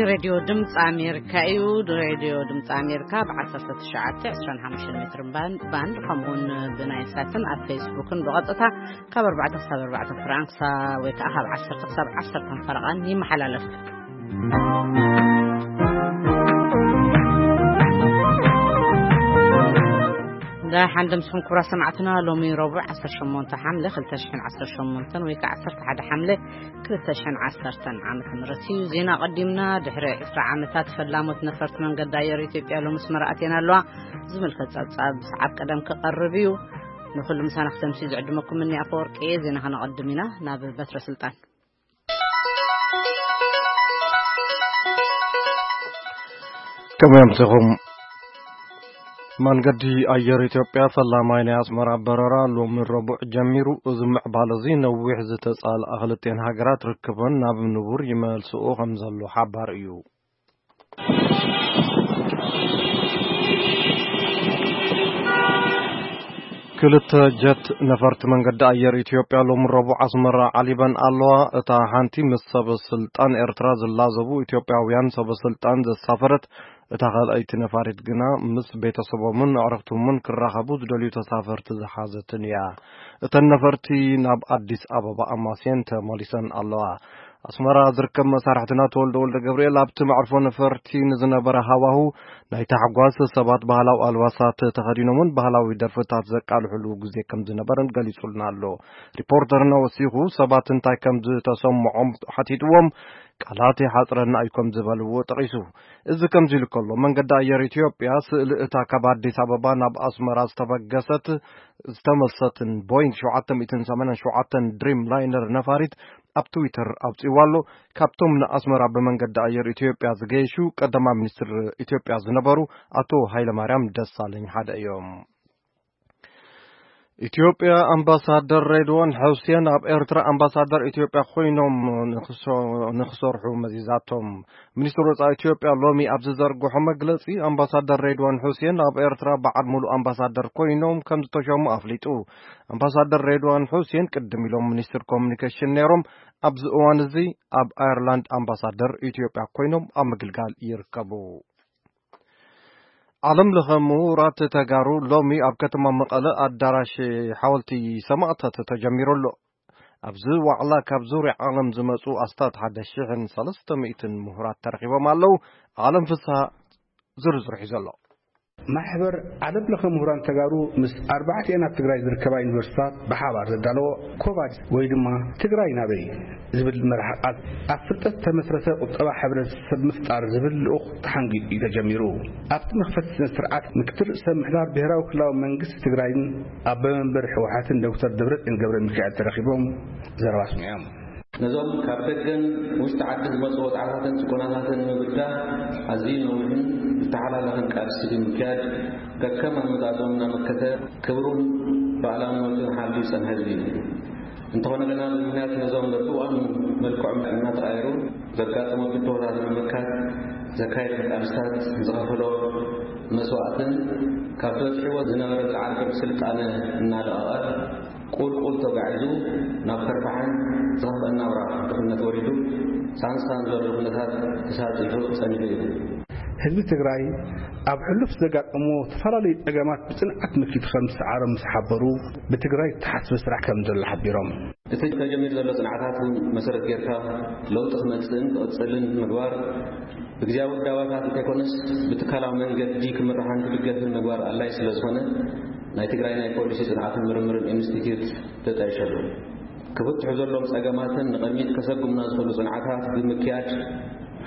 ሬድዮ ድምፂ ኣሜሪካ እዩ። ሬድዮ ድምፂ ኣሜሪካ ብ19፣ 25 ሜትር ባንድ፣ ባንድ ከምኡውን ብናይ ሳትን ኣብ ፌስቡክን ብቐጥታ ካብ ኣርባዕተ ክሳብ ኣርባዕተ ፍራንሳ ወይ ከዓ ካብ ዓሰርተ ክሳብ ዓሰርተ ፈረቓን ይመሓላለፍ። ደሓን ደምስኹም ክቡራት ሰማዕትና፣ ሎሚ ረቡዕ ዓሰርተ ሸሞንተ ሓምለ ክልተ ሽሕን ዓሰርተ ሸሞንተን ወይ ከዓ ዓሰርተ ሓደ ሓምለ ክልተ ሽሕን ዓሰርተን ዓመተ ምህረት እዩ። ዜና ቀዲምና፣ ድሕሪ ዕስራ ዓመታት ፈላሞት ነፈርቲ መንገዲ ኣየር ኢትዮጵያ ሎሚ ኣስመራ ኣትየን ኣለዋ። ዝምልከት ጸብጻብ ሰዓብ ቀደም ክቐርብ እዩ። ንኹሉ ምሳና ክተምሲ ዝዕድመኩም እኒ ኣፈወርቂ እየ። ዜና ከነቐድም ኢና። ናብ በትረ ስልጣን። ከመይ ኣምሲኹም? መንገዲ ኣየር ኢትዮጵያ ፈላማይ ናይ ኣስመራ በረራ ሎሚ ረቡዕ ጀሚሩ። እዚ ምዕባለ እዚ ነዊሕ ዝተጻልኣ ክልቲኤን ሃገራት ርክበን ናብ ንቡር ይመልስኦ ከም ዘሎ ሓባር እዩ። ክልተ ጀት ነፈርቲ መንገዲ ኣየር ኢትዮጵያ ሎሚ ረቡዕ ኣስመራ ዓሊበን ኣለዋ። እታ ሓንቲ ምስ ሰበ ስልጣን ኤርትራ ዝላዘቡ ኢትዮጵያውያን ሰበ ስልጣን ዘሳፈረት፣ እታ ካልኣይቲ ነፋሪት ግና ምስ ቤተሰቦምን ኣዕሩኽቶምን ክራኸቡ ዝደልዩ ተሳፈርቲ ዝሓዘትን እያ። እተን ነፈርቲ ናብ ኣዲስ ኣበባ ኣማስየን ተመሊሰን ኣለዋ። ኣስመራ ዝርከብ መሳርሕትና ተወልደ ወልደ ገብርኤል ኣብቲ መዕርፎ ነፈርቲ ንዝነበረ ሃዋሁ ናይ ታሕጓስ፣ ሰባት ባህላዊ ኣልባሳት ተኸዲኖምን ባህላዊ ደርፍታት ዘቃልሕሉ ግዜ ከም ዝነበረን ገሊጹልና ኣሎ። ሪፖርተርና ወሲኹ ሰባት እንታይ ከም ዝተሰምዖም ሓቲትዎም፣ ቃላት ይሓጽረና እዩ ከም ዝበልዎ ጠቒሱ። እዚ ከምዚ ኢሉ ከሎ፣ መንገዲ ኣየር ኢትዮጵያ ስእሊ እታ ካብ ኣዲስ ኣበባ ናብ ኣስመራ ዝተበገሰት፣ ዝተመልሰትን ቦይንግ ሸውዓተ ሚእትን ሰማንያን ሸውዓተን ድሪም ላይነር ነፋሪት ኣብ ትዊተር ኣውጺእዋ ኣሎ። ካብቶም ንኣስመራ ብመንገዲ ኣየር ኢትዮጵያ ዝገየሹ ቀዳማይ ሚኒስትር ኢትዮጵያ ዝነበሩ ኣቶ ሃይለማርያም ደሳለኝ ሓደ እዮም። ኢትዮጵያ ኣምባሳደር ሬድዋን ሑሴን ኣብ ኤርትራ ኣምባሳደር ኢትዮጵያ ኮይኖም ንክሶ-፣ ንክሰርሑ መዚዛቶም። ሚኒስትር ወጻኢ ኢትዮጵያ ሎሚ ኣብ ዝዘርግሖ መግለጺ፣ ኣምባሳደር ሬድዋን ሑሴን ኣብ ኤርትራ በዓል ሙሉእ ኣምባሳደር ኮይኖም ከም ዝተሸሙ ኣፍሊጡ። ኣምባሳደር ሬድዋን ሑሴን ቅድም ኢሎም ሚኒስትር ኮሙኒኬሽን ነይሮም። ኣብዚ እዋን እዚ ኣብ ኣየርላንድ ኣምባሳደር ኢትዮጵያ ኮይኖም ኣብ ምግልጋል ይርከቡ። ዓለም ለኸ ምሁራት ተጋሩ ሎሚ ኣብ ከተማ መቐለ ኣዳራሽ ሓወልቲ ሰማእታት ተጀሚሩ ኣሎ። ኣብዚ ዋዕላ ካብ ዙርያ ዓለም ዝመጹ ኣስታት ሓደ ሽሕን ሰለስተ ሚእትን ምሁራት ተረኺቦም ኣለዉ። ዓለም ፍስሃ ዝርዝሩ ሒዙ ኣሎ። ማሕበር ዓለም ለኸ ምሁራን ተጋሩ ምስ ኣርባዕቲኤን ኣብ ትግራይ ዝርከባ ዩኒቨርሲታት ብሓባር ዘዳለዎ ኮቫ ወይ ድማ ትግራይ ናበይ ዝብል መርሓ ቃል ኣብ ፍልጠት ተመስረተ ቁጠባ ሕብረተሰብ ምፍጣር ዝብል ልኡኽ ተሓንጊጡ እዩ ተጀሚሩ። ኣብቲ መኽፈቲ ስነ ስርዓት ምክትል ርእሰ ምሕዳር ብሔራዊ ክልላዊ መንግስቲ ትግራይን ኣቦ መንበር ህወሓትን ዶክተር ደብረፅዮን ገብረ ሚካኤል ተረኺቦም ዘረባ ኣስሚዖም። ነዞም ካብ ደገን ውሽጢ ዓዲ ዝመፁ ወፅዓታትን ጭቆናታትን ንምብዳህ ኣዝዩ ነዊሕን ዝተሓላለኸን ቃልሲ ብምክያድ፣ ከከም ኣመፃፅኦም እናመከተ ክብሩን ሉዓላውነቱን ሓልዩ ዝፀንሐ ህዝቢ እዩ። እንተኾነ ግና፣ ብምኽንያት ነዞም በብእዋኑ መልክዖም እናተቐያየሩ ዘጋጠሙ ብድሆታት ንምምካት ዘካየዶ ቃልስታት፣ ዝኸፈሎ መስዋእትን ካብ ዝበፅሕዎ ዝነበረ ዝለዓለ ብርኪ ስልጣነ እናለቐቐ ቁልቁል ተጓዒዙ ናብ ከርፋሕን ዝኸፍአን ናብራ ድኽነት ወሪዱ ሳንሳን ዘሎ ኩነታት ተሳጢሑ ጸኒሑ እዩ። ህዝቢ ትግራይ ኣብ ሕሉፍ ዘጋጠሞ ዝተፈላለዩ ጸገማት ብጽንዓት መኪቱ ከም ዝሰዓሮም ምስ ሓበሩ፣ ብትግራይ ዝተሓስበ ስራሕ ከም ዘሎ ሓቢሮም። እቲ ተጀሚሩ ዘሎ ጽንዓታት እውን መሰረት ጌርካ ለውጢ ክመጽእን ክቕጽልን ምግባር፣ ብግዝያዊ ውዳባታት እንተይኮነስ ብትካላዊ መንገዲ ክምርሓን ክድገፍን ምግባር ኣድላይ ስለ ዝኾነ፣ ናይ ትግራይ ናይ ፖሊሲ ጽንዓትን ምርምርን ኢንስቲትዩት ተጣይሸሉ። ክፍትሑ ዘለዎም ጸገማትን ንቕድሚት ከሰጉምና ዝኽእሉ ጽንዓታት ብምክያድ፣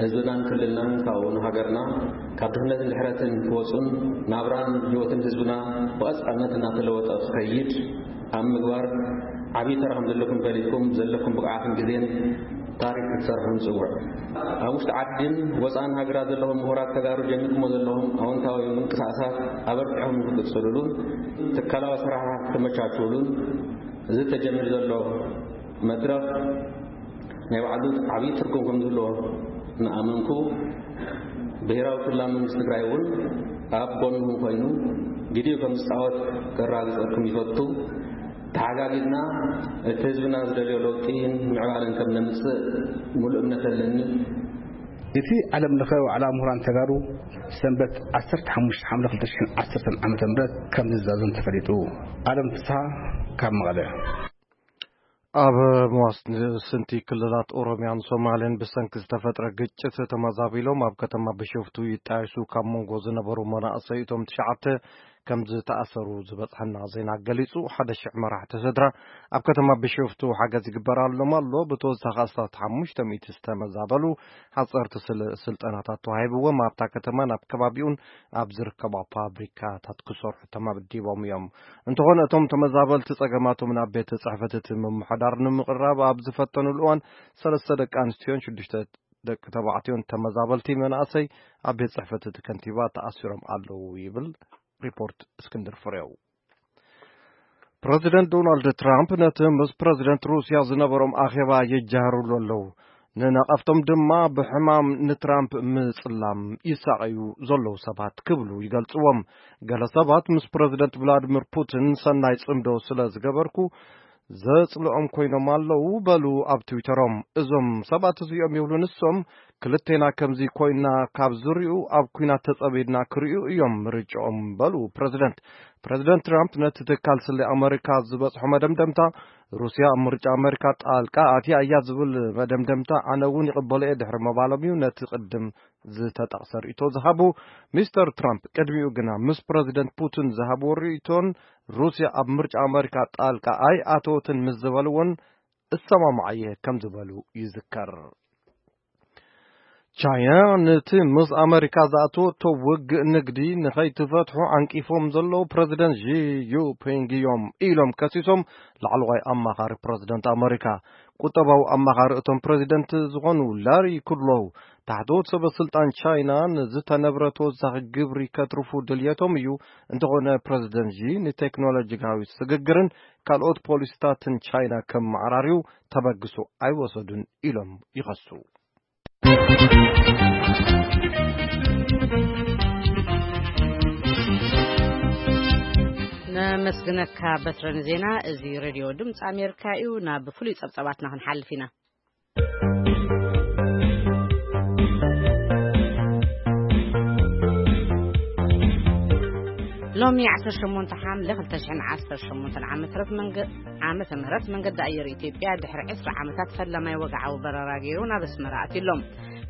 ህዝብናን ክልልናን፣ ካብኡ ንሃገርና፣ ካብ ድኽነትን ድሕረትን ክወጹን ናብራን ህይወትን ህዝብና ብቐጻልነት እናተለወጠ ክኸይድ ኣብ ምግባር ዓብዪ ተራ ከም ዘለኩም ፈሊጥኩም፣ ዘለኩም ብቕዓትን ግዜን ታሪክ ክትሰርሑ ንጽውዕ። ኣብ ውሽጢ ዓድን ወጻእን ሃገራት ዘለኹም ምሁራት ተጋሩ፣ ጀሚርኩሞ ዘለኹም ኣወንታዊ ምንቅስቃሳት ኣበርቲዕኹም ንክትቅጽሉሉን ትካላዊ ኣሰራርሓ ክተመቻችውሉን፣ እዚ ተጀሚሩ ዘሎ መድረኽ ናይ ባዕሉ ዓብዪ ትርጉም ከም ዝህልዎ እናኣመንኩ፣ ብሄራዊ ክልላዊ መንግስቲ ትግራይ እውን ኣብ ጎንኹም ኮይኑ ግዲኡ ከም ዝፃወት ከረጋግፀልኩም ይፈቱ። ተሓጋጊዝና እቲ ህዝብና ዝደልዮ ለውጢን ምዕባለን ከም ነምፅእ ሙሉእ እምነት ኣለኒ። እቲ ዓለም ለኸ ዋዕላ ምሁራን ተጋሩ ሰንበት ዓሰርተ ሓሙሽተ ሓምለ ክልተ ሽሕን ዓሰርተን ዓመተ ምህረት ከም ዝዛዘም ተፈሊጡ። ኣለም ፍስሃ ካብ መቐለ። ኣብ መዋስንቲ ክልላት ኦሮሚያን ሶማልን ብሰንኪ ዝተፈጥረ ግጭት ተመዛቢሎም ኣብ ከተማ ቢሾፍቱ ይጣየሱ ካብ መንጎ ዝነበሩ መናእሰይ እቶም ትሽዓተ ከም ዝተኣሰሩ ዝበጽሐና ዜና ገሊጹ። ሓደ ሽሕ መራሕቲ ስድራ ኣብ ከተማ ቢሾፍቱ ሓገዝ ይግበራሎም ኣሎ። ብተወሳኺ ኣስታት ሓሙሽተ ሚእቲ ዝተመዛበሉ ሓጸርቲ ስል-፣ ስልጠናታት ተዋሂብዎም ኣብታ ከተማን ኣብ ከባቢኡን ኣብ ዝርከባ ፋብሪካታት ክሰርሑ ተመዲቦም እዮም። እንተኾነ እቶም ተመዛበልቲ ጸገማቶም ናብ ቤት ጽሕፈት እቲ ምምሕዳር ንምቕራብ ኣብ ዝፈተኑሉ እዋን ሰለስተ ደቂ ኣንስትዮን ሽዱሽተ ደቂ ተባዕትዮን ተመዛበልቲ መናእሰይ ኣብ ቤት ጽሕፈት እቲ ከንቲባ ተኣሲሮም ኣለዉ ይብል ሪፖርት እስክንድር ፍሬው። ፕረዚደንት ዶናልድ ትራምፕ ነቲ ምስ ፕረዚደንት ሩስያ ዝነበሮም ኣኼባ ይጃሃሩሉ ኣለዉ። ንነቐፍቶም ድማ ብሕማም ንትራምፕ ምጽላም ይሳቐዩ ዘለዉ ሰባት ክብሉ ይገልጽዎም። ገለ ሰባት ምስ ፕረዚደንት ቭላድሚር ፑቲን ሰናይ ጽምዶ ስለ ዝገበርኩ ዘጽልኦም ኮይኖም ኣለዉ በሉ ኣብ ትዊተሮም። እዞም ሰባት እዚኦም ይብሉ ንሶም፣ ክልቴና ከምዚ ኮይና ካብ ዝሪኡ ኣብ ኲናት ተጸሚድና ክሪኡ እዮም ምርጫኦም በሉ ፕረዚደንት። ፕረዚደንት ትራምፕ ነቲ ትካል ስለ ኣመሪካ ዝበጽሖ መደምደምታ ሩስያ ኣብ ምርጫ ኣመሪካ ጣልቃ ኣትያ እያ ዝብል መደምደምታ ኣነ እውን ይቕበሎ እየ ድሕሪ ምባሎም እዩ ነቲ ቅድም ዝተጠቕሰ ርእይቶ ዝሃቡ። ሚስተር ትራምፕ ቅድሚኡ ግና ምስ ፕረዚደንት ፑቲን ዝሃብዎ ርእይቶን ሩስያ ኣብ ምርጫ ኣመሪካ ጣልቃ ኣይኣተወትን ምስ ዝበልዎን እሰማማዕ እየ ከም ዝበሉ ይዝከር። ቻይና ነቲ ምስ ኣመሪካ ዝኣተወቶ ውግእ ንግዲ ንኸይትፈትሑ ዓንቂፎም ዘለዉ ፕረዚደንት ዢ ዩፒንግ እዮም ኢሎም ከሲሶም ላዕለዋይ ኣማኻሪ ፕረዚደንት ኣመሪካ። ቁጠባዊ ኣማኻሪ እቶም ፕረዚደንት ዝኾኑ ላሪ ኩድሎው ታሕተዎት ሰበ ስልጣን ቻይና ንዝተነብረ ተወሳኺ ግብሪ ከትርፉ ድልየቶም እዩ። እንተኾነ ፕረዚደንት ዢ ንቴክኖሎጂካዊ ስግግርን ካልኦት ፖሊሲታትን ቻይና ከም ማዕራርዩ ተበግሶ ኣይወሰዱን ኢሎም ይኸሱ። ነመስግነካ በትረ ንዜና። እዚ ሬድዮ ድምፂ ኣሜሪካ እዩ። ናብ ፍሉይ ጸብጻባትና ክንሓልፍ ኢና። ሎሚ ዓሰርተ ሸሞንተ ሓምለ ክልተ ሽሕን ዓሰርተ ሸሞንተን ዓመተ ምህረት መንገ-፣ ዓመተ ምህረት መንገዲ ኣየር ኢትዮጵያ ድሕሪ ዕስራ ዓመታት ፈላማይ ወግዓዊ በረራ ገይሩ ናብ ኣስመራ ኣትዩ ኣሎ።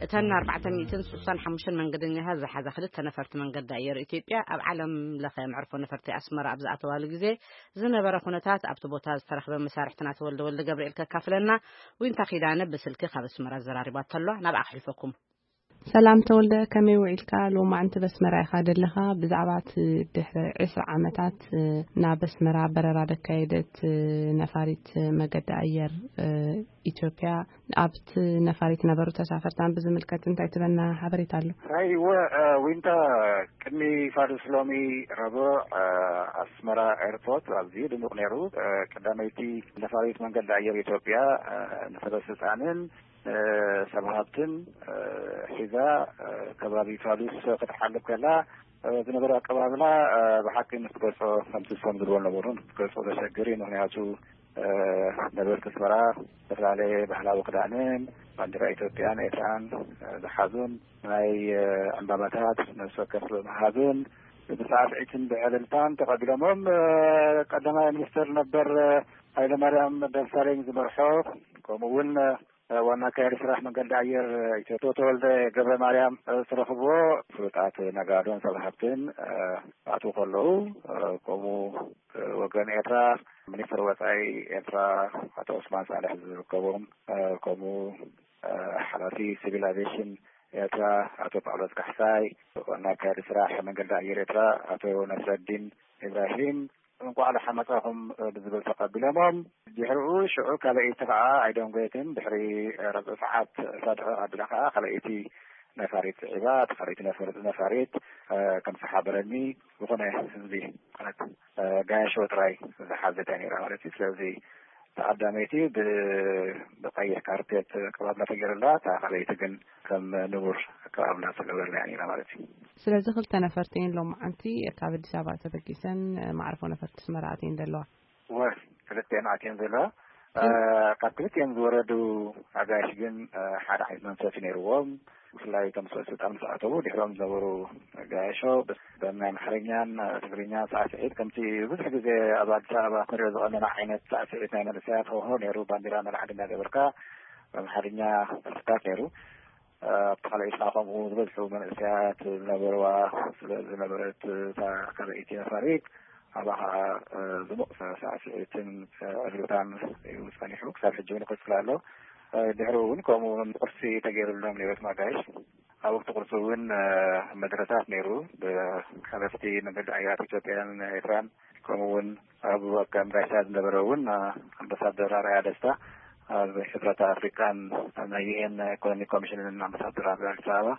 እተን ኣርባዕተ ሚእትን ስሳን ሓሙሽተን መንገደኛታት ዝሓዛ ክልተ ነፈርቲ መንገዲ ኣየር ኢትዮጵያ ኣብ ዓለም ለኸ መዕርፎ ነፈርቲ ኣስመራ ኣብ ዝኣተዋሉ ግዜ ዝነበረ ኩነታት ኣብቲ ቦታ ዝተረኽበ መሳርሕትና ተወልደ ወልደ ገብርኤል ከካፍለና ዊንታ ኪዳነ ብስልኪ ካብ ኣስመራ ዘራሪባቶ ኣሎ። ናብኣ ክሕልፈኩም። ሰላም ተወልደ፣ ከመይ ውዒልካ? ሎማዕንቲ በስመራ ኢኻ ደለኻ። ብዛዕባ እቲ ድሕሪ ዕስራ ዓመታት፣ እ፣ ናብ ኣስመራ በረራ ደካየደት፣ እ፣ ነፋሪት መገዲ ኣየር፣ እ፣ ኢትዮጵያ፣ ኣብቲ ነፋሪት ነበሩ ተሳፈርታን ብዝምልከት እንታይ ትበና ሓበሬታ ኣሎ? ኣይወ፣ እ፣ ዊንታ፣ ቅድሚ ፋዱስ ሎሚ ረቡዕ፣ እ፣ ኣስመራ ኤርፖርት ኣዝዩ ድሙቕ ነይሩ። እ፣ ቀዳመይቲ ነፋሪት መንገዲ ኣየር ኢትዮጵያ፣ እ፣ ንሰበ ስልጣንን እ፣ ሰብ ሃብትን፣ እ፣ ሒዛ፣ እ፣ ከባቢ ፋሉስ ክትሓልፍ ከላ፣ እ፣ ዝነበረ ኣቀባብላ፣ እ፣ ብሓቂ ምስ ትገልጾ ከምቲ እሶም ዝብልዎ ነበሩን ክትገልጾ ዘሸግር እዩ። ምኽንያቱ፣ እ፣ ነበርቲ ኣስመራ ዝተፈላለየ ባህላዊ ክዳንን ባንዲራ ኢትዮጵያን ኤርትራን፣ እ፣ ዝሓዙን ናይ፣ እ፣ ዕምባባታት ነፍሲ ወከፍ ብምሃብን ብሳዕስዒትን ብዕልልታን ተቐቢሎሞም፣ እ፣ ቀዳማይ ሚኒስትር ነበር፣ እ፣ ሃይለማርያም ደሳለኝ ዝመርሖ ከምኡ እውን፣ እ፣ ዋና ኣካያዲ ስራሕ መንገዲ ኣየር ኢትዮጵያ ተወልደ ገብረ ማርያም፣ እ፣ ዝተረኽብዎ ፍሉጣት ነጋዶን ሰብ ሃብትን፣ እ፣ ክኣትዉ ከለዉ፣ እ፣ ከምኡ፣ እ፣ ወገን ኤርትራ ሚኒስትር ወጻኢ ኤርትራ ኣቶ ዑስማን ሳልሕ ዝርከቦም፣ እ፣ ከምኡ፣ እ፣ ሓላፊ ሲቪል ኣቪዬሽን ኤርትራ ኣቶ ጳውሎስ ካሕሳይ፣ ዋና ኣካያዲ ስራሕ መንገዲ ኣየር ኤርትራ ኣቶ ነስረዲን ኢብራሂም፣ እንቋዕ ደሓን መጻኹም ብዝብል ተቐቢሎሞም። ድሕሪኡ ሽዑ ካልኣይቲ ኸዓ ኣይደንጎየትን፣ ድሕሪ ረብዒ ሰዓት ሳድዑ ኣቢላ ኸዓ ካልኣይቲ ነፋሪት ስዒባ፣ እታ ካልኣይቲ ነፈር-፣ ነፋሪት፣ እ፣ ከም ዝሓበረኒ፣ ዝኾነ ህዝቢ ማለት፣ እ፣ ጋያሾ ጥራይ ዝሓዘት እያ ነይራ ማለት እዩ። ስለዚ ተቐዳመይቲ ብ-፣ ብቐይሕ ካርፔት ኣቀባብላ ተገይሩላ፣ እታ ካልኣይቲ ግን ከም ንቡር ኣቀባብላ ዝተገብረላ እያ ነይራ ማለት እዩ። ስለዚ ክልተ ነፈርቲ እየን ሎማዓንቲ ካብ ኣዲስ ኣበባ ተበጊሰን፣ እ፣ ማዕርፎ ነፈርቲ ኣስመራ ኣትየን ዘለዋ። ወ-፣ ክልተ እየን ኣትየን ዘለዋ። ካብ ክልቲኦም ዝወረዱ ኣጋይሽ ግን ሓደ ዓይነት መንፈስ ነይርዎም። ብፍላይ ከም ሰበ ስልጣን ምስ ኣተዉ ድሕሮም ዝነበሩ ኣጋይሾ በናይ ኣምሓርኛን ትግርኛ ሳዕስዒት ከምቲ ብዙሕ ግዜ ኣብ ኣዲስ ኣበባ ንሪኦ ዝቐነና ዓይነት ሳዕስዒት ናይ መንእሰያት ሆሆ ነይሩ። ባንዲራ መልዓሊ እናገበርካ ብኣምሓርኛ ደርፍታት ነይሩ። ኣብቲ ካልኣይ ኢድካ ከምኡ ዝበዝሑ መንእሰያት ዝነበርዋ ስለ ዝነበረት እታ ካልኣይቲ ነፋሪት ኣብኣ ከዓ ዝሙቕ ሳዕስዒትን ዕልልታን እዩ ጸኒሑ። ክሳብ ሕጂ እውን ይቕጽል ኣሎ። ድሕሪ እውን ከምኡ ቁርሲ ተገይሩሎም ነይሮት ማጋይሽ። ኣብ ወቅቲ ቁርሲ እውን መድረታት ነይሩ። ብሓለፍቲ መንገዲ ኣየራት ኢትዮጵያን ኤርትራን ከምኡ እውን ኣብ ኣካም ጋሻ ዝነበረ እውን ኣምባሳደር ኣርኣያ ደስታ ኣብ ሕብረት ኣፍሪቃን ናይ ዩኤን ኢኮኖሚክ ኮሚሽንን ኣምባሳደር ኣብ ኣዲስ ኣበባ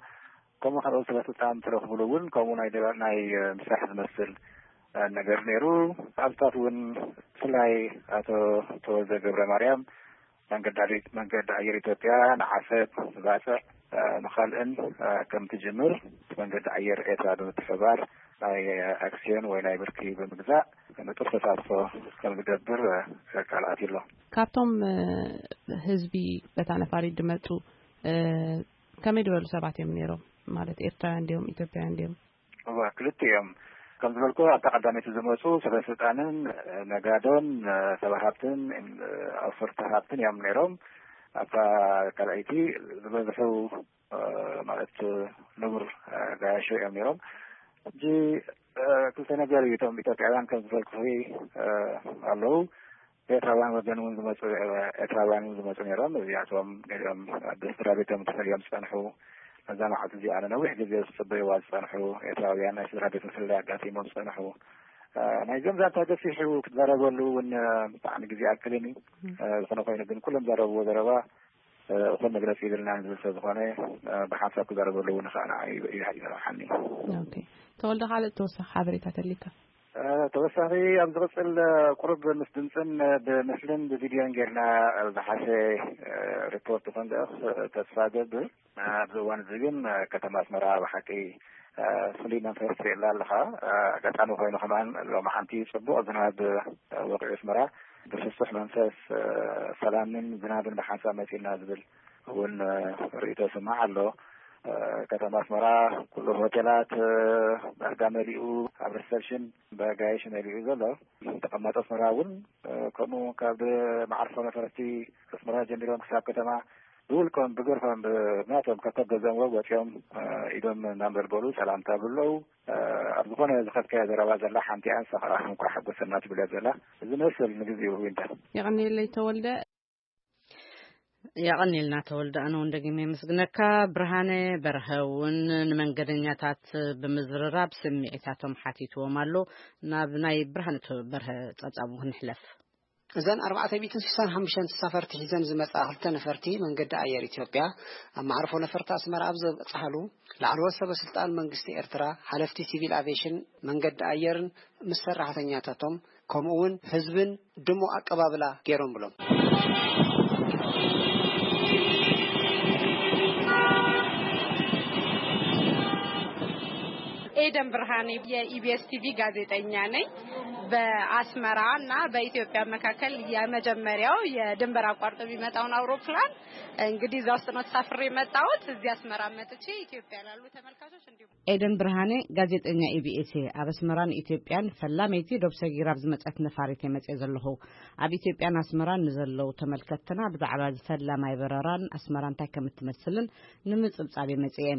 ከምኡ ካልኦት ሰበ ስልጣን ተረኽብሉ እውን ከምኡ ናይ ናይ ምስራሕ ዝመስል ነገር ነይሩ። ኣብታት እውን ብፍላይ ኣቶ ተወልደ ገብረ ማርያም መንገዲ ኣየር ኢትዮጵያ ንዓሰብ ንባፅዕ ንካልእን ከም ትጅምር መንገዲ ኣየር ኤርትራ ብምትሕባር ናይ ኣክሲዮን ወይ ናይ ብርኪ ብምግዛእ ንጡፍ ተሳትፎ ከም ዝገብር ቃል ኣትዩ ኣሎ። ካብቶም ህዝቢ በታ ነፋሪት ዝመፁ ከመይ ዝበሉ ሰባት እዮም ነይሮም? ማለት ኤርትራውያን ድዮም ኢትዮጵያውያን ድዮም? እዋ ክልተ እዮም። ከም ዝበልኩ ኣብታ ቀዳመይቲ ዝመፁ ሰበ ስልጣንን ነጋዶን ሰብ ሃብትን ኣውፈርቲ ሃብትን እዮም ነይሮም። ኣብታ ካልኣይቲ ዝበዝሑ ማለት ንቡር ጋያሾ እዮም ነይሮም። ሕጂ ክልተ ነገር እዩ። እቶም ኢትዮጵያውያን ከም ዝበልኩ ኣለዉ። ኤርትራውያን ወገን እውን ዝመፁ ኤርትራውያን እውን ዝመፁ ነይሮም። እዚኣቶም ገሊኦም ብስድራ ቤቶም ተፈልዮም ዝፀንሑ፣ ነዛ መዓልቲ እዚኣ ንነዊሕ ግዜ ዝፅበይዋ ዝፀንሑ ኤርትራውያን ናይ ስድራ ቤት ፍልልይ ኣጋጢሞም ዝፀንሑ። ናይ ገምዛታ ገፊሑ ክትዛረበሉ እውን ብጣዕሚ ግዜ ኣክልን እዩ። ዝኾነ ኮይኑ ግን ኩሎም ዘረብዎ ዘረባ እኹል መግለፂ ይብልናን ዝብል ሰብ ዝኾነ ብሓንሳብ ክዛረበሉ እውን ከዓ ንዓይ ይረብሓኒ። ኦኬ። ተወልደ፣ ካልእ ተወሳኺ ሓበሬታ ተልካ? ተወሳኺ ኣብ ዝቕፅል ቁሩብ ምስ ድምፅን ብምስልን ብቪድዮን ጌርና ዝሓሸ ሪፖርት ክንልእኽ ተስፋ ገብር። ኣብዚ እዋን እዚ ግን ከተማ ኣስመራ ብሓቂ ፍሉይ መንፈስ ትርእየላ ኣለኻ። ኣጋጣሚ ኮይኑ ከማን ሎሚ ሓንቲ ፅቡቕ ዝናብ ወቂዑ ኣስመራ ብፍሱሕ መንፈስ ሰላምን ዝናብን ብሓንሳብ መፂና ዝብል እውን ርእይቶ ስማዕ ኣሎ። ከተማ ኣስመራ ኩሉ ሆቴላት ዳርጋ መሊኡ፣ ኣብ ሪሰፕሽን በጋይሽ መሊኡ ዘሎ። ተቐማጦ ኣስመራ እውን ከምኡ ካብ መዓርፎ ነፈርቲ ኣስመራ ጀሚሮም ክሳብ ከተማ ብውልቆም ብግርፎም ብናቶም ከከብ ገዘምዎ ወፂኦም ኢዶም እናንበልበሉ ሰላምታ ብለው። ኣብ ዝኾነ ዝኸድካዮ ዘረባ ዘላ ሓንቲ ኣንሳ ከዓ እንኳዕ ሓጎሰና ትብል እያ ዘላ። እዚ መስል ንግዜኡ ዊንታ። የቐንየለይ ተወልደ። የቐንየልና ተወልደ፣ ኣነ እውን ደጊመ የመስግነካ። ብርሃነ በርሀ እውን ንመንገደኛታት ብምዝርራብ ስምዒታቶም ሓቲትዎም ኣሎ። ናብ ናይ ብርሃነ በርሀ ጸብጻብ እውን ክንሕለፍ። እዘን ኣርባዕተ ሚእትን ስሳን ሓሙሽተን ተሳፈርቲ ሒዘን ዝመጻ ክልተ ነፈርቲ መንገዲ ኣየር ኢትዮጵያ ኣብ መዓርፎ ነፈርቲ ኣስመራ ኣብ ዘብጽሓሉ ላዕለዎት ሰበ ስልጣን መንግስቲ ኤርትራ፣ ሓለፍቲ ሲቪል ኣቪዬሽን መንገዲ ኣየርን ምስ ሰራሕተኛታቶም ከምኡ እውን ህዝብን ድሙቕ ኣቀባብላ ገይሮም ብሎም። ኤደን ብርሃኔ የኢቢኤስ ቲቪ ጋዜጠኛ ነኝ። በአስመራ እና በኢትዮጵያ መካከል የመጀመሪያው የድንበር አቋርጦ የሚመጣውን አውሮፕላን እንግዲህ እዛ ውስጥ ነው ተሳፍሬ የመጣሁት። እዚህ አስመራ መጥቼ ኢትዮጵያ ላሉ ተመልካቾች እንዲሁም ኤደን ብርሃኔ፣ ጋዜጠኛ ኢቢኤስ። ኣብ ኣስመራን ኢትዮጵያን ፈላመይቲ ዶብ ሰጊራ ኣብ ዝመጸት ነፋሪት እየ መጽየ ዘለኹ። ኣብ ኢትዮጵያን ኣስመራን ንዘለዉ ተመልከትትና ብዛዕባ እዚ ፈላማይ በረራን ኣስመራ እንታይ ከም እትመስልን ንምጽብጻብ እየ መጽየ።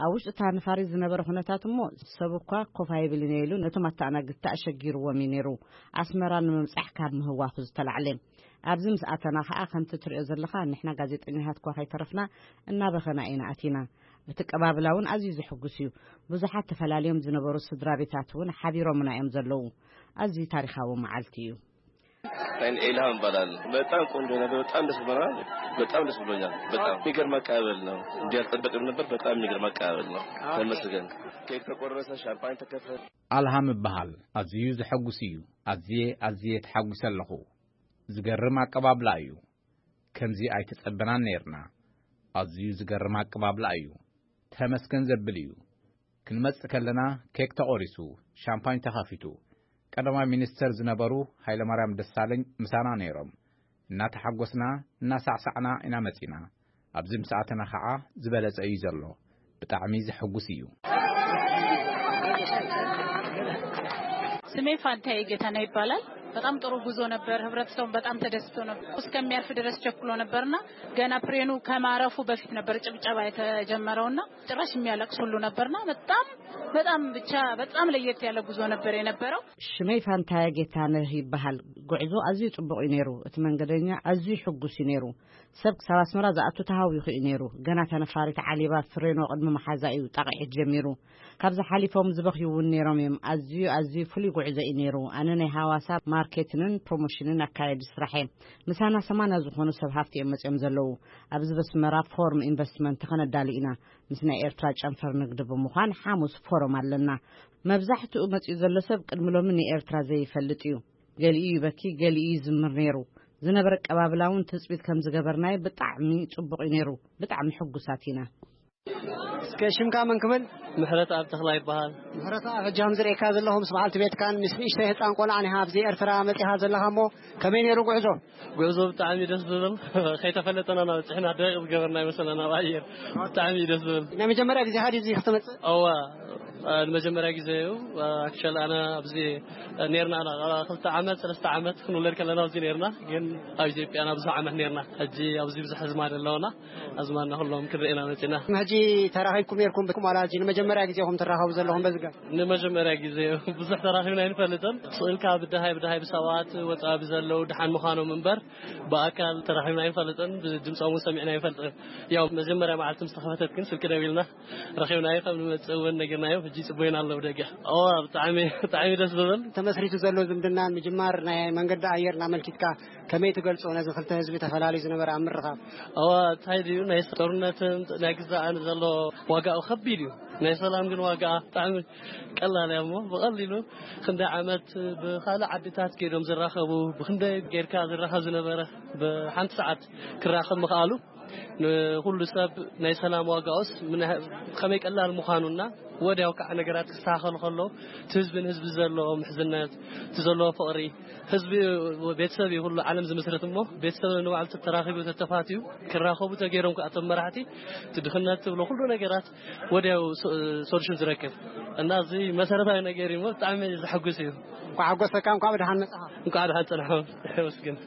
ኣብ ውሽጢ እታ ነፋሪት ዝነበረ ኩነታት እሞ ሰብ እኳ ኮፍ ኣይብልን እየ ኢሉ ነቶም ኣተኣናገድቲ ኣሸጊርዎም እዩ ነይሩ። ኣስመራ ንምብጻሕ ካብ ምህዋኹ ዝተላዕለ። ኣብዚ ምስ ኣተና ኸኣ ከምቲ ትርእዮ ዘለኻ ንሕና ጋዜጠኛታት እኳ ከይተረፍና እናበኸና ኢና ኣቲና። እቲ ኣቀባብላ እውን ኣዝዩ ዘሕጉስ እዩ። ብዙሓት ተፈላልዮም ዝነበሩ ስድራ ቤታት እውን ሓቢሮምና እዮም ዘለዉ። ኣዝዩ ታሪኻዊ መዓልቲ እዩ። ናይን ኤልሃም እባላለሁ። በጣም ቆንጆ ነበር። በጣም ደስ ብሎናል። በጣም ደስ ብሎኛል። በጣም የሚገርም አቀባበል ነው። እንዲህ ያልጠበቅን ነበር። በጣም የሚገርም አቀባበል ነው። ተመስገን። ኬክ ተቆረሰ፣ ሻምፓኝ ተከፈተ። ኣልሃም እበሃል። ኣዝዩ ዘሐጉስ እዩ። ኣዝየ ኣዝየ ተሓጒሰ ኣለኹ። ዝገርም ኣቀባብላ እዩ። ከምዚ ኣይተጸበናን ነይርና። ኣዝዩ ዝገርም ኣቀባብላ እዩ። ተመስገን ዘብል እዩ። ክንመጽእ ከለና ኬክ ተቖሪሱ፣ ሻምፓኝ ተኸፊቱ። ቀዳማይ ሚኒስተር ዝነበሩ ሃይለማርያም ደሳለኝ ምሳና ነይሮም። እናተሓጎስና እናሳዕሳዕና ኢና መጺና። ኣብዚ ምስ ኣተና ኸዓ ዝበለጸ እዩ ዘሎ። ብጣዕሚ ዘሐጉስ እዩ። ስሜ ፋንታዬ ጌታነህ ይባላል። በጣም ጥሩ ጉዞ ነበር። ህብረተሰቡም በጣም ተደስቶ ነበር። እስከሚያርፍ ድረስ ቸኩሎ ነበርና ገና ፕሌኑ ከማረፉ በፊት ነበር ጭብጨባ የተጀመረውና ጭራሽ የሚያለቅስ ሁሉ ነበርና በጣም በጣም ብቻ በጣም ለየት ያለ ጉዞ ነበር የነበረው። ሽመይ ፋንታዬ ጌታነህ ይበሃል። ጉዕዞ ኣዝዩ ጽቡቕ እዩ ነይሩ። እቲ መንገደኛ ኣዝዩ ሕጉስ እዩ ነይሩ። ሰብ ክሳብ ኣስመራ ዝኣቱ ተሃዊኹ እዩ ነይሩ። ገና እታ ነፋሪት ዓሊባ ፍሬኖ ቅድሚ መሓዛ እዩ ጣቕዒት ጀሚሩ። ካብዚ ሓሊፎም ዝበኽዩ እውን ነይሮም እዮም። ኣዝዩ ኣዝዩ ፍሉይ ጉዕዞ እዩ ነይሩ። ኣነ ናይ ሃዋሳ ማርኬቲንግን ፕሮሞሽንን ኣካየዲ ስራሕ እየ። ምሳና ሰማንያ ዝኾኑ ሰብ ሃፍቲ እዮም መጺኦም ዘለዉ። ኣብዚ በስመራ ፎርም ኢንቨስትመንት ከነዳሊ ኢና። ምስ ናይ ኤርትራ ጨንፈር ንግዲ ብምዃን ሓሙስ ፎረም ኣለና። መብዛሕትኡ መጺኡ ዘሎ ሰብ ቅድሚ ሎሚ ንኤርትራ ዘይፈልጥ እዩ። ገሊኡ ይበኪ፣ ገሊኡ ይዝምር ነይሩ። ዝነበረ ኣቀባብላ እውን ትጽቢት ከም ዝገበርናዮ ብጣዕሚ ጽቡቕ እዩ ነይሩ። ብጣዕሚ ሕጉሳት ኢና። እስከ ሽምካ መን ክብል? ምሕረተኣብ ተኽላይ ይበሃል። ምሕረተኣብ፣ ሕጂ ከም ዝርእየካ ዘለኹ ምስ በዓልቲ ቤትካን ምስ ንእሽተይ ህጻን ቆልዓን ኢኻ ኣብዚ ኤርትራ መጺኻ ዘለኻ እሞ ከመይ ነይሩ ጉዕዞ? ጉዕዞ ብጣዕሚ ደስ ዝብል። ከይተፈለጠና ኢና በጺሕና ደቂቕ ዝገበርና ይመስለና ኣብ ኣየር። ብጣዕሚ እዩ ደስ ዝብል። ናይ መጀመርያ ግዜኻ ድዩ እዚ ክትመጽእ? እዋ፣ አ፣ ንመጀመርያ ግዜ እዩ። አ፣ ኣክቹዋሊ ኣነ ኣብዚ ኔርና ኢና ክልተ ዓመት ሰለስተ ዓመት ክንውለድ ከለና ኣብዚ ኔርና፣ ግን ኣብ ኢትዮጵያ ና ብዙሕ ዓመት ኔርና። ሕጂ ኣብዚ ብዙሕ ኣዝማድ ኣለውና። ኣዝማድና ኩሎም ክንርኢ ኢና መጺና። ሕጂ ተራኺብኩም ኔርኩም ብኩም ዋላ ሕጂ ንመጀመርያ ግዜኹም ትራኸቡ ዘለኹም በዚ ገ? ንመጀመርያ ግዜ እዩ። ብዙሕ ተራኺብና ኣይንፈልጥን። ስእልካ ብደሃይ ብደሃይ ብሰባት ወጻኢ ብዘለዉ ደሓን ምዃኖም እምበር ብኣካል ተራኺብና ኣይንፈልጥን። ብድምጾም እውን ሰሚዕና ኣይንፈልጥን። ያው መጀመርያ መዓልቲ ምስ ተኸፈተት ግን ስልኪ ደዊልና ረኺብናዮ ከም ንመጽእ እውን ነጊርናዮ። ሕጂ ጽቡይና ኣለዉ ደገ። እዋ ብጣዕሚ ብጣዕሚ ደስ ዝብል። ተመስሪቱ ዘሎ ዝምድና ምጅማር ናይ መንገዲ ኣየር እናመልኪትካ ከመይ ትገልጾ ነዚ ክልተ ህዝቢ ተፈላለዩ ዝነበረ ኣብ ምርኻብ? እዋ እንታይ ድዩ ናይ ጦርነትን ናይ ግዛእን ዘሎ ዋጋኡ ከቢድ እዩ። ናይ ሰላም ግን ዋጋ ብጣዕሚ ቀላል እያ እሞ ብቐሊሉ ክንደይ ዓመት ብኻልእ ዓድታት ከይዶም ዝራኸቡ ብክንደይ ጌርካ ዝራኸብ ዝነበረ ብሓንቲ ሰዓት ክራኸብ ምኽኣሉ ንኹሉ ሰብ ናይ ሰላም ዋጋኡስ ምን ያህ-፣ ከመይ ቀላል ምዃኑና ወዲያው ከዓ ነገራት ክስተኻኸሉ ከለዉ እቲ ህዝብን ህዝቢ ዘለዎ ምሕዝነት እቲ ዘለዎ ፍቕሪ ህዝቢ ቤተሰብ እዩ ኩሉ ዓለም ዝምስርት እሞ ቤተሰብ ንባዕሉ ተተራኺቡ ተተፋትዩ ክራኸቡ ተገይሮም ከዓ እቶም መራሕቲ እቲ ድኽነት ትብሎ ኩሉ ነገራት ወዲያው ሶ-፣ ሶሉሽን ዝረክብ እና እዚ መሰረታዊ ነገር እዩ እሞ ብጣዕሚ ዘሐጉስ እዩ። እንኳዕ ሓጎሰካ፣ እንኳዕ ብደሓን መጻኻ። እንኳዕ ደሓን ጸናሕኩም። የመስግን።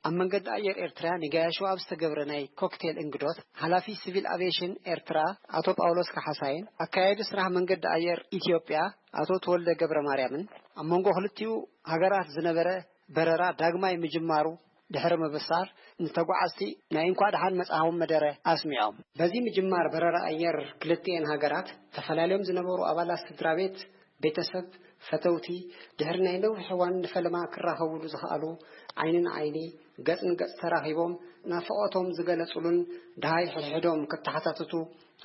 ኣብ መንገዲ ኣየር ኤርትራ ንገያሾ ኣብ ዝተገብረ ናይ ኮክቴል እንግዶት፣ ሓላፊ ሲቪል ኣቪዬሽን ኤርትራ ኣቶ ጳውሎስ ካሓሳይን ኣካያዲ ስራሕ መንገዲ ኣየር ኢትዮጵያ ኣቶ ተወልደ ገብረ ማርያምን ኣብ መንጎ ክልቲኡ ሃገራት ዝነበረ በረራ ዳግማይ ምጅማሩ ድሕሪ ምብሳር፣ ንተጓዓዝቲ ናይ እንኳዕ ደሓን መጻኹም መደረ ኣስሚዖም። በዚ ምጅማር በረራ ኣየር ክልቲኤን ሃገራት፣ ተፈላልዮም ዝነበሩ ኣባላት ስድራ ቤት፣ ቤተሰብ፣ ፈተውቲ፣ ድሕሪ ናይ ነዊሕ እዋን ንፈለማ ክራኸቡሉ ዝኸኣሉ፣ ዓይኒ ንዓይኒ፣ ገጽ ንገጽ ተራኺቦም ናፍቖቶም ዝገለጹሉን ደሃይ ሕድሕዶም ክተሓታተቱ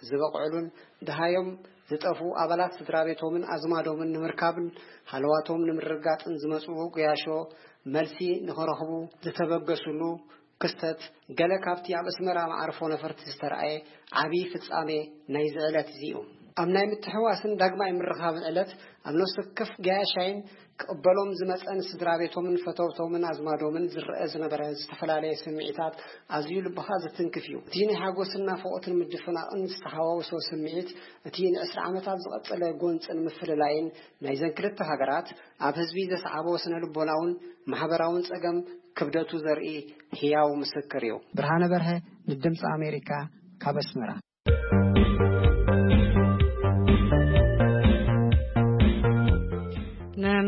ዝበቕዕሉን ደሃዮም ዝጠፍኡ ኣባላት ስድራ ቤቶምን ኣዝማዶምን ንምርካብን ሃለዋቶም ንምርግጋጽን ዝመጽኡ ገያሾ መልሲ ንኽረኽቡ ዝተበገሱሉ ክስተት ገለ ካብቲ ኣብ ኣስመራ መዓርፎ ነፈርቲ ዝተራእየ ዓቢ ፍጻሜ ናይዚ ዕለት እዚ እዩ። ኣብ ናይ ምትሕዋስን ዳግማይ ምርኻብን ዕለት ኣብ ነፍሲ ወከፍ ገያሻይን ክቕበሎም ዝመጸን ስድራ ቤቶምን ፈተውቶምን ኣዝማዶምን ዝረአ ዝነበረ ዝተፈላለየ ስምዒታት ኣዝዩ ልብኻ ዝትንክፍ እዩ። እቲ ናይ ሓጎስን ናፍቖትን ምድፍናቕን ዝተሓዋወሶ ስምዒት እቲ ንዕስራ ዓመታት ዝቐጸለ ጎንጽን ምፍልላይን ናይዘን ክልተ ሃገራት ኣብ ህዝቢ ዘስዓቦ ስነ ልቦናውን ማሕበራውን ጸገም ክብደቱ ዘርኢ ህያው ምስክር እዩ። ብርሃነ በርሀ ንድምፂ ኣሜሪካ ካብ ኣስመራ።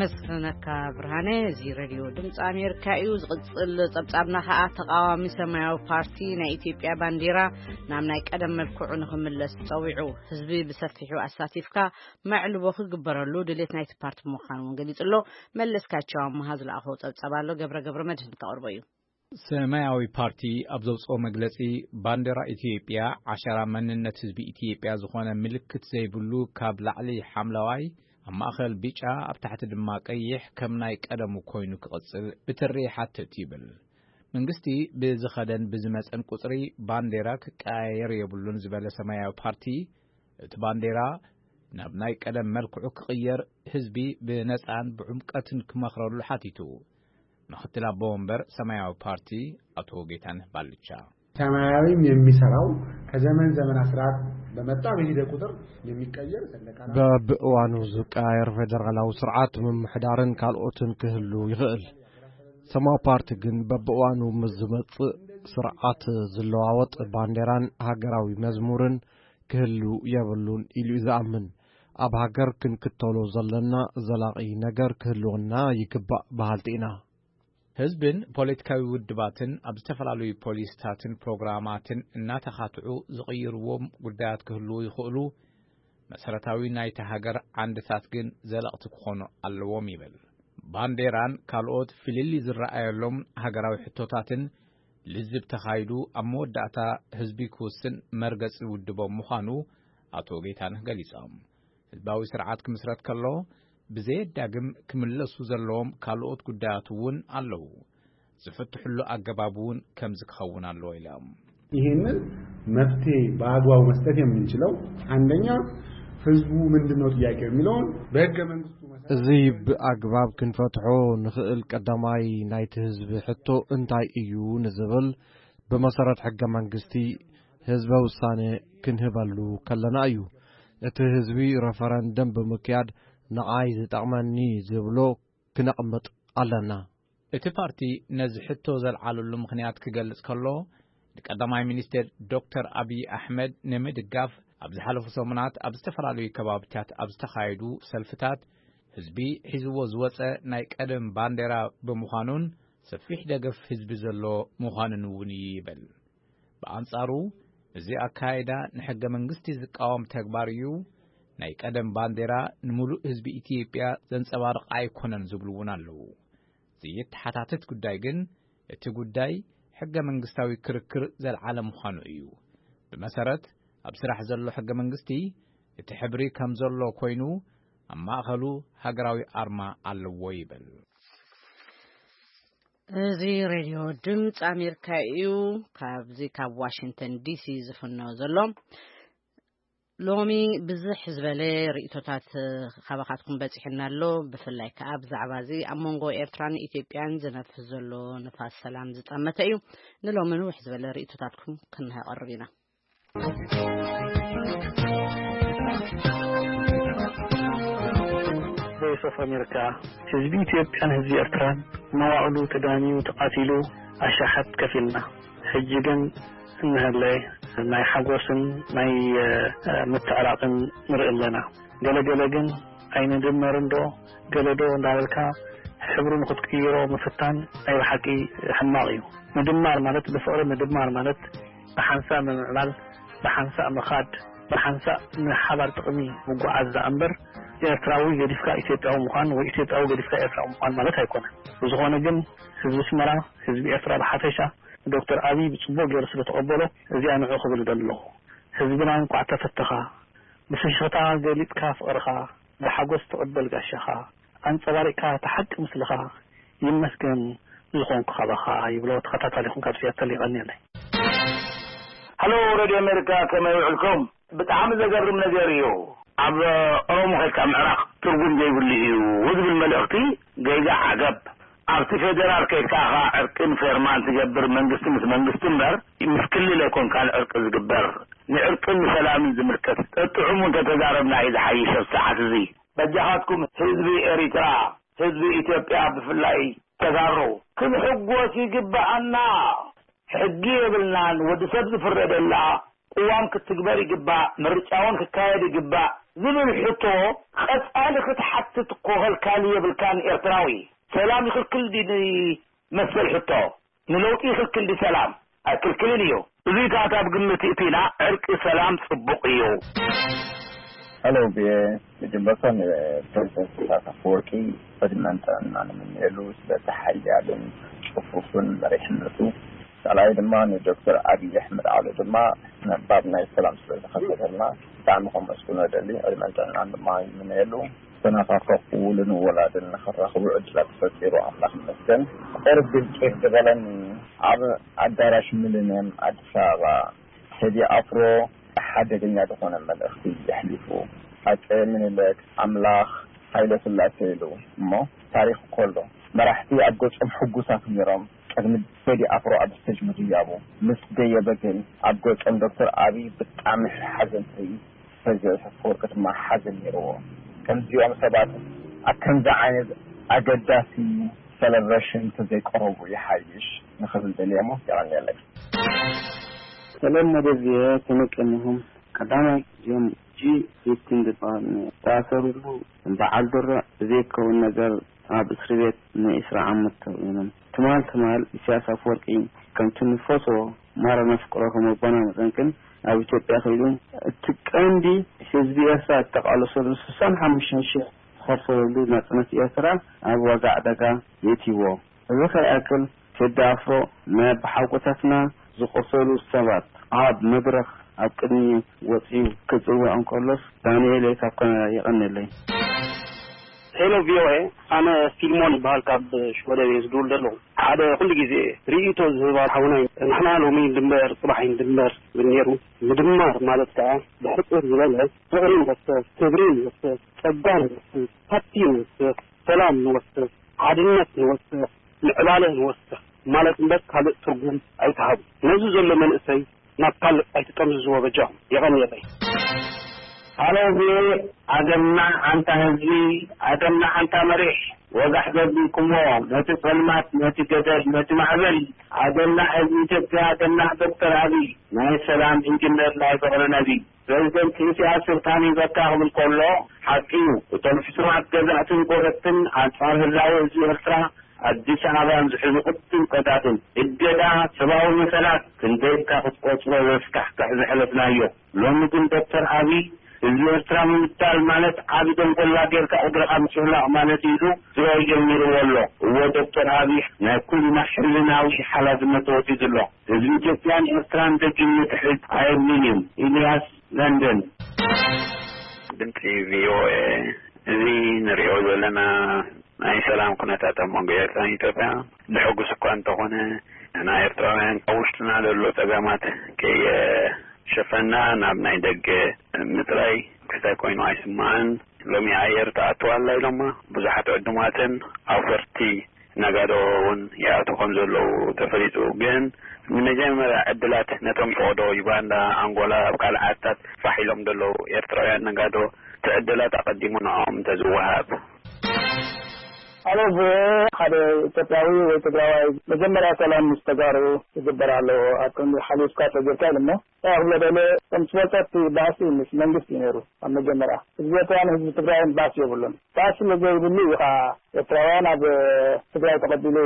መስፍነካ ብርሃነ። እዚ ሬድዮ ድምፂ ኣሜሪካ እዩ። ዝቕፅል ፀብፃብና ከዓ፣ ተቃዋሚ ሰማያዊ ፓርቲ ናይ ኢትዮጵያ ባንዲራ ናብ ናይ ቀደም መልክዑ ንክምለስ ፀዊዑ። ህዝቢ ብሰፊሑ ኣሳቲፍካ መዕልቦ ክግበረሉ ድሌት ናይቲ ፓርቲ ምዃኑ እውን ገሊፁ ኣሎ። መለስካቸው ኣመሃ ዝለኣኾ ፀብፃብ ኣሎ፣ ገብረ ገብረ መድህን ከቕርቦ እዩ። ሰማያዊ ፓርቲ ኣብ ዘውፅኦ መግለፂ፣ ባንዴራ ኢትዮጵያ ዓሸራ መንነት ህዝቢ ኢትዮጵያ ዝኾነ ምልክት ዘይብሉ፣ ካብ ላዕሊ ሓምለዋይ፣ ኣብ ማእኸል ቢጫ፣ ኣብ ታሕቲ ድማ ቀይሕ ከም ናይ ቀደሙ ኮይኑ ክቕፅል ብትሪ ይሓትት ይብል። መንግስቲ ብዝኸደን ብዝመፀን ቁፅሪ ባንዴራ ክቀያየር የብሉን ዝበለ ሰማያዊ ፓርቲ፣ እቲ ባንዴራ ናብ ናይ ቀደም መልክዑ ክቕየር ህዝቢ ብነፃን ብዕምቀትን ክመኽረሉ ሓቲቱ። ምክትል ኣቦ ወንበር ሰማያዊ ፓርቲ ኣቶ ጌታነህ ባልቻ። ሰማያዊም የሚሰራው ከዘመን ዘመን ስርዓት በመጣ በሄደ ቁጥር የሚቀየር ሰንደቅ ዓላማ በብእዋኑ ዝቀያየር ፌደራላዊ ስርዓት ምምሕዳርን ካልኦትን ክህሉ ይኽእል። ሰማያዊ ፓርቲ ግን በብእዋኑ ምስ ዝመጽእ ስርዓት ዝለዋወጥ ባንዴራን ሃገራዊ መዝሙርን ክህሉ የብሉን ኢሉ እዩ ዝኣምን። ኣብ ሃገር ክንክተሎ ዘለና ዘላቒ ነገር ክህልወና ይግባእ በሃልቲ ኢና። ህዝብን ፖለቲካዊ ውድባትን ኣብ ዝተፈላለዩ ፖሊሲታትን ፕሮግራማትን እናተኻትዑ ዝቕይርዎም ጉዳያት ክህልዉ ይኽእሉ፣ መሰረታዊ ናይታ ሃገር ዓንድታት ግን ዘለቕቲ ክኾኑ ኣለዎም ይብል። ባንዴራን ካልኦት ፍልልይ ዝረኣየሎም ሃገራዊ ሕቶታትን ልዝብ ተኻይዱ ኣብ መወዳእታ ህዝቢ ክውስን መርገጺ ውድቦም ምዃኑ ኣቶ ጌታነህ ገሊጾም። ህዝባዊ ስርዓት ክምስረት ከሎ ብዘየዳግም ክምለሱ ዘለዎም ካልኦት ጉዳያት እውን ኣለዉ። ዝፍትሕሉ ኣገባብ እውን ከምዚ ክኸውን ኣለዎ ኢሎም። ይህንን መፍትሄ በአግባቡ መስጠት የምንችለው አንደኛ ህዝቡ ምንድን ነው ጥያቄው የሚለውን በህገ መንግስቱ መሰረት እዚ ብኣግባብ ክንፈትሖ ንኽእል ቀዳማይ ናይቲ ህዝቢ ሕቶ እንታይ እዩ ንዝብል ብመሰረት ሕገ መንግስቲ ህዝበ ውሳነ ክንህበሉ ከለና እዩ። እቲ ህዝቢ ረፈረንደም ብምክያድ ንዓይ ዝጠቕመኒ ዝብሎ ክነቕምጥ ኣለና። እቲ ፓርቲ ነዚ ሕቶ ዘልዓለሉ ምኽንያት ክገልጽ ከሎ፣ ንቀዳማይ ሚኒስቴር ዶክተር ኣብይ ኣሕመድ ንምድጋፍ ኣብ ዝሓለፉ ሰሙናት ኣብ ዝተፈላለዩ ከባቢታት ኣብ ዝተኻየዱ ሰልፍታት ህዝቢ ሒዝዎ ዝወጸ ናይ ቀደም ባንዴራ ብምዃኑን ሰፊሕ ደገፍ ህዝቢ ዘሎ ምዃኑን እውን እዩ ይብል። ብኣንጻሩ፣ እዚ ኣካይዳ ንሕገ መንግስቲ ዝቃወም ተግባር እዩ፣ ናይ ቀደም ባንዴራ ንምሉእ ህዝቢ ኢትዮጵያ ዘንጸባርቕ ኣይኮነን ዝብሉ እውን ኣለዉ። ዘይተሓታተት ጉዳይ ግን፣ እቲ ጉዳይ ሕገ መንግስታዊ ክርክር ዘልዓለ ምዃኑ እዩ። ብመሰረት ኣብ ስራሕ ዘሎ ሕገ መንግስቲ፣ እቲ ሕብሪ ከም ዘሎ ኮይኑ፣ ኣብ ማእኸሉ ሃገራዊ ኣርማ ኣለዎ ይብል። እዚ ሬድዮ ድምፂ ኣሜሪካ እዩ። ካብዚ ካብ ዋሽንግተን ዲሲ ዝፍኖ ዘሎ። ሎሚ ብዝሕ ዝበለ ርእቶታት ካባኻትኩም በፂሕና ኣሎ። ብፍላይ ከዓ ብዛዕባ እዚ ኣብ መንጎ ኤርትራን ኢትዮጵያን ዝነፍስ ዘሎ ንፋስ ሰላም ዝጠመተ እዩ። ንሎሚ ንውሕ ዝበለ ርእቶታትኩም ክነቕርብ ኢና። ቮይስ ኦፍ ኣሜሪካ፣ ህዝቢ ኢትዮጵያን ህዝቢ ኤርትራን መዋእሉ ተዳንዩ ተቓቲሉ ኣሻሓት ከፊልና። ሕጂ ግን እንሀለ ናይ ሓጎስን ናይ ምትዕራቕን ንርኢ ኣለና። ገለገለ ግን ኣይንድመርን ዶ ገለ ዶ እንዳበልካ ሕብሩ ንኽትቅይሮ ምፍታን ናይ ብሓቂ ሕማቕ እዩ። ምድማር ማለት ብፍቕሪ ምድማር ማለት ብሓንሳእ ምምዕባል፣ ብሓንሳእ ምኻድ፣ ብሓንሳእ ንሓባር ጥቕሚ ምጉዓዝ ደኣ እምበር፣ ኤርትራዊ ገዲፍካ ኢትዮጵያዊ ምዃን ወይ ኢትዮጵያዊ ገዲፍካ ኤርትራዊ ምዃን ማለት ኣይኮነን። ብዝኾነ ግን፣ ህዝቢ ኣስመራ፣ ህዝቢ ኤርትራ ብሓፈሻ፣ ንዶክተር ኣብይ ብጽቡቕ ገይሩ ስለ ተቐበሎ፣ እዚኣ ንዑ ክብል እደሊ ኣለኹ። ህዝብና እንቋዕ ተፈተኻ፣ ብፍሽኽታ ገሊጽካ ፍቕርኻ፣ ብሓጎስ ትቕበል ጋሻኻ፣ ኣንጸባሪቕካ እቲ ሓቂ ምስልኻ፣ ይመስገን ዝኾንኩ ካባኻ ይብሎ ተኸታታሊኹም ካብ ሲያትል። የቐንየለይ። ሃሎ ሬድዮ ኣሜሪካ፣ ከመይ ውዕልኩም? ብጣዕሚ ዘገርም ነገር እዩ። ኣብ ኦሮሞ ከድካ ምዕራቕ ትርጉም ዘይብሉ እዩ ዝብል መልእኽቲ ገይጋ ዓገብ። ኣብቲ ፌደራል ከድካ ኢኻ ዕርቅን ፌርማን ትገብር መንግስቲ ምስ መንግስቲ እምበር ምስ ክልል ኣይኮንካን ዕርቂ ዝግበር። ንዕርቅን ንሰላምን ዝምልከት ጠጥዑሙ እንተተዛረብና እዩ ዝሓይሽ ኣብዚ ሰዓት እዚ። በጃኻትኩም ህዝቢ ኤሪትራ፣ ህዝቢ ኢትዮጵያ ብፍላይ ተጋሩ ክንሕጎስ ይግብኣና። ሕጊ የብልናን። ወዲ ሰብ ዝፍረደላ ቅዋም ክትግበር ይግባእ። ምርጫ እውን ክካየድ ይግባእ። ዝብል ሕቶ ቀጻሊ ክትሓትት እኮ ከልካሊ የብልካን። ኤርትራዊ ሰላም ይኽልክል ድዩ ንመሰል ሕቶ? ንለውጢ ይኽልክል ድዩ ሰላም? ኣይክልክልን እዩ። እዙይ ከኣ ካብ ግምት እቲና ዕርቂ ሰላም ጽቡቕ እዩ። ሄሎ ብየ መጀመርታ ንፕሬዚደንት ኢሳያስ ኣፈወርቂ ዕድመን ጥዕና ንምንየሉ ስለቲ ሓያልን ጽፉፍን መሪሕነቱ። ካልኣይ ድማ ንዶክተር ኣብይ ኣሕመድ ዓሊ ድማ ነባብ ናይ ሰላም ስለ ዝኸፈተልና ብጣዕሚ ከመስግኖ እደሊ። ዕድመን ጥዕናን ድማ ይምነየሉ። ዝተናፋፈቑ ውሉድን ወላድን ንኽራኽቡ ዕድላት ፈጢሩ ኣምላኽ ይመስገን። ቁሩብ ግልጭ ዝበለኒ ኣብ ኣዳራሽ ሚሊንየም ኣዲስ ኣበባ ቴዲ ኣፍሮ ሓደገኛ ዝኾነ መልእኽቲ የሕሊፉ። ኣጼ ምኒልክ ኣምላኽ ሃይለ ስላሴ ኢሉ እሞ ታሪኽ ከሎ መራሕቲ ኣብ ገጾም ሕጉሳት ነይሮም። ቅድሚ ቴዲ ኣፍሮ ኣብ ስቴጅ ምዝያቡ ምስ ደየበ ግን ኣብ ገጾም ዶክተር ኣብይ ብጣዕሚ ሓዘን ትርኢ። ፕሬዚደንት ኣፈወርቂ ድማ ሓዘን ነይርዎ። ከምዚኦም ሰባት ኣብ ከምዚ ዓይነት ኣገዳሲ ሰለብሬሽን ተዘይቀረቡ ይሓይሽ ንኽብል ደልየ እሞ የቐንየለይ። ሰለል መደብ ቪኦኤ ከመይ ቀኒኹም? ቀዳማይ እዚኦም ጂ ፊፍቲን ዝበሃል ዝተኣሰሩሉ በዓል ድሮ ብዘይከውን ነገር ኣብ እስሪ ቤት ንዒስራ ዓመት ተውዒኖም። ትማል ትማል ኢሳያስ ኣፈወርቂ ከምቲ ንፈትዎ ማራ ነፍቅሮ ከም ኣቦና መጠን ግን ኣብ ኢትዮጵያ ከይዱ እቲ ቀንዲ ህዝቢ ኤርትራ እተቃለሰሉ ስሳን ሓሙሽተን ሽሕ ዝኸፈለሉ ናጽነት ኤርትራ ኣብ ዋጋ ዕዳጋ የእትይዎ። እዚ ከይኣክል ቴዲ ኣፍሮ ናይ ኣቦሓጎታትና ዝቆሰሉ ሰባት ኣብ መድረኽ ኣብ ቅድሚ ወጺኡ ክጽውዕ እንከሎስ ዳንኤል ካብ ካናዳ የቐንየለይ። ሄሎ ቪኦኤ፣ ኣነ ፊልሞን ይበሃል፣ ካብ ሽወደን እየ ዝድውል ዘለኹ። ሓደ ኩሉ ግዜ ርእይቶ ዝህባ ሓውና እዩ። ንሕና ሎሚ ድንበር ጽባሕ እዩ ድንበር ዝብል ነይሩ። ምድማር ማለት ከኣ ብሕጽር ዝበለ ፍቕሪ ንወስኽ፣ ክብሪ ንወስኽ፣ ጸጋ ንወስኽ፣ ሃብቲ ንወስኽ፣ ሰላም ንወስኽ፣ ሓድነት ንወስኽ፣ ምዕባለ ንወስኽ ማለት እምበር ካልእ ትርጉም ኣይትሃቡ። ነዚ ዘሎ መንእሰይ ናብ ካልእ ኣይትጠምዝዝዎ በጃኹም። የቐንየለይ። ሃሎ ቪኦኤ፣ ኣገናዕ ኣንታ ህዝቢ፣ ኣገናዕ ኣንታ መሪሕ። ወጋሕ ዘቢልኩሞ ነቲ ጸልማት፣ ነቲ ገደል፣ ነቲ ማዕበል። ኣገናዕ ህዝቢ ኢትዮጵያ፣ ኣገናዕ ዶክተር ኣብይ፣ ናይ ሰላም ኢንጅነር፣ ናይ ፍቕሪ ነቢ። ፕረዚደንት ኢሳያስ ስልጣን ይበካ ክብል ከሎ ሓቂ እዩ። እቶም ሕሱማት ገዛእትን ጎረብትን ኣንጻር ህላወ ህዝቢ ኤርትራ ኣዲስ ኣበባን ዝሕዙ ቅድም ቀዳድም እገዳ ሰብኣዊ መሰላት ክንደይ ኢልካ ክትቆጽሮ ዘስካሕክሕ ዘሕለፍናዮ። ሎሚ ግን ዶክተር ኣብይ ህዝቢ ኤርትራ ምምታል ማለት ዓቢ ደንጎላ ጌርካ እግርኻ ምጭፍላቕ ማለት እዩ ኢሉ ስራኡ ጀሚርዎ ኣሎ። እወ ዶክተር ኣብይ ናይ ኩልና ሕልናዊ ሓላፍነት ተወሲዱ ኣሎ። ህዝቢ ኢትዮጵያን ኤርትራን ደጊም ንድሕሪት ኣየብሉን እዩ። ኢልያስ ለንደን። ድምፂ ቪኦኤ፣ እዚ ንሪኦ ዘለና ናይ ሰላም ኩነታት ኣብ መንጎ ኤርትራን ኢትዮጵያ ዘሐጉስ እኳ እንተኾነ፣ ንሕና ኤርትራውያን ኣብ ውሽጥና ዘሎ ጸገማት ከየሸፈና ናብ ናይ ደገ ምጥራይ ክስታይ ኮይኑ ኣይስማዕን። ሎሚ ኣየር ትኣቱ ኣላ ኢሎማ ብዙሓት ዕዱማትን ኣውፈርቲ ነጋዶ እውን ይኣትዉ ከም ዘለዉ ተፈሊጡ። ግን ንመጀመርያ ዕድላት ነቶም ፈቐዶ ዩጋንዳ፣ ኣንጎላ፣ ኣብ ካልእ ዓድታት ፋሕ ኢሎም ዘለዉ ኤርትራውያን ነጋዶ እቲ ዕድላት ኣቐዲሙ ንዕኦም እንተዝወሃብ። ኣነ ሓደ ኢትዮጵያዊ ወይ ትግራዋይ መጀመርያ ሰላም ምስ ተጋሩ ክግበር ኣለዎ። ኣብ ክንዲ ሓሊፍካ ሰጊርካ ኢሉ እሞ እንታይ ክብሎ ደልየ፣ ከም ስፖንሰርቲ ባእሲ ምስ መንግስቲ እዩ ነይሩ ኣብ መጀመርያ። ህዝቢ ኤርትራን ህዝቢ ትግራይን ባእሲ የብሉን። ባእሲ ስለ ዘይብሉ እዩ ከዓ ኤርትራውያን ኣብ ትግራይ ተቐቢሉ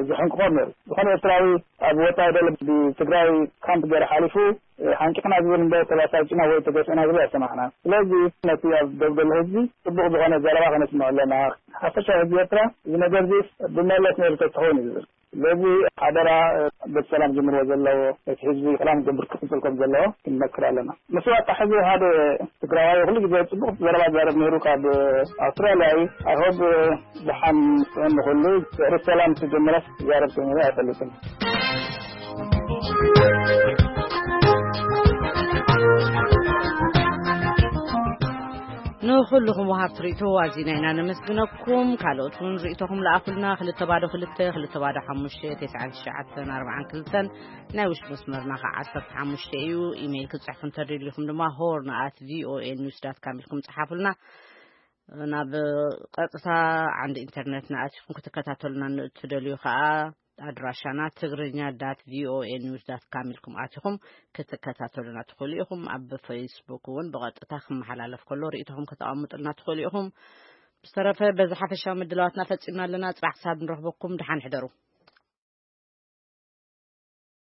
ዝሕንቅቖም ነይሩ። ዝኾነ ኤርትራዊ ኣብ ወፃኢ ዘሎ ብትግራይ ካምፕ ገይሩ ሓሊፉ ሓንቂቕና ዝብል እምበር ተባሳጭና ወይ ተገፊዕና ዝብል ኣይሰማዕናን። ስለዚ ነቲ ኣብ ደብ ዘሎ ህዝቢ ፅቡቕ ዝኾነ ዘረባ ከነስምዖ ኣለና። ሓፈሻዊ ህዝቢ ኤርትራ እዚ ነገር እዚ ብመለስ ነይሩ ተትኸውን እዩ ዝብል። ስለዚ ሓደራ በቲ ሰላም ጀምርዎ ዘለዎ እቲ ህዝቢ ሰላም ክገብር ክቅፅል ከም ዘለዎ ክንመክር ኣለና። ምስ ዋጣ ሕዚ ሓደ ትግራዋይ ኩሉ ግዜ ፅቡቕ ዘረባ ዛረብ ነይሩ ካብ ኣውስትራልያ እዩ። ኣይሆብ ደሓን ጥዑም ንኹሉ ድሕሪ ሰላም ክጀምረስ ዛረብ ኮይኑ ኣይፈልጥን። ንኹልኹም ወሃብቲ ርእይቶ ኣዚና ኢና ነመስግነኩም። ካልኦት እውን ርእይቶኹም ለኣኹልና። ክልተ ባዶ ክልተ፣ ክልተ ባዶ ሓሙሽተ፣ ተስዓን ትሽዓተን ኣርባዓን ክልተን፣ ናይ ውሽጢ መስመርና ከዓ ዓሰርተ ሓሙሽተ እዩ። ኢሜይል ክትጽሕፉ እንተደሊኹም ድማ ሆርን ኣት ቪኦኤ ኒውስ ዳት ካም ኢልኩም ጽሓፉልና። ናብ ቀጥታ ዓንዲ ኢንተርነት ንኣቲኹም ክትከታተሉና እትደልዩ ከዓ ኣድራሻና ትግርኛ ዳት ቪኦኤ ኒውስ ዳት ካም ኢልኩም ኣቲኹም ክትከታተሉና ትኽእሉ ኢኹም። ኣብ ፌስቡክ እውን ብቐጥታ ክመሓላለፍ ከሎ ርእይቶኹም ከተቐምጡልና ትኽእሉ ኢኹም። ብዝተረፈ በዚ ሓፈሻዊ ምድላዋትና ፈጺምና ኣለና። ጽባሕ ክሳብ ንረኽበኩም ደሓን ሕደሩ።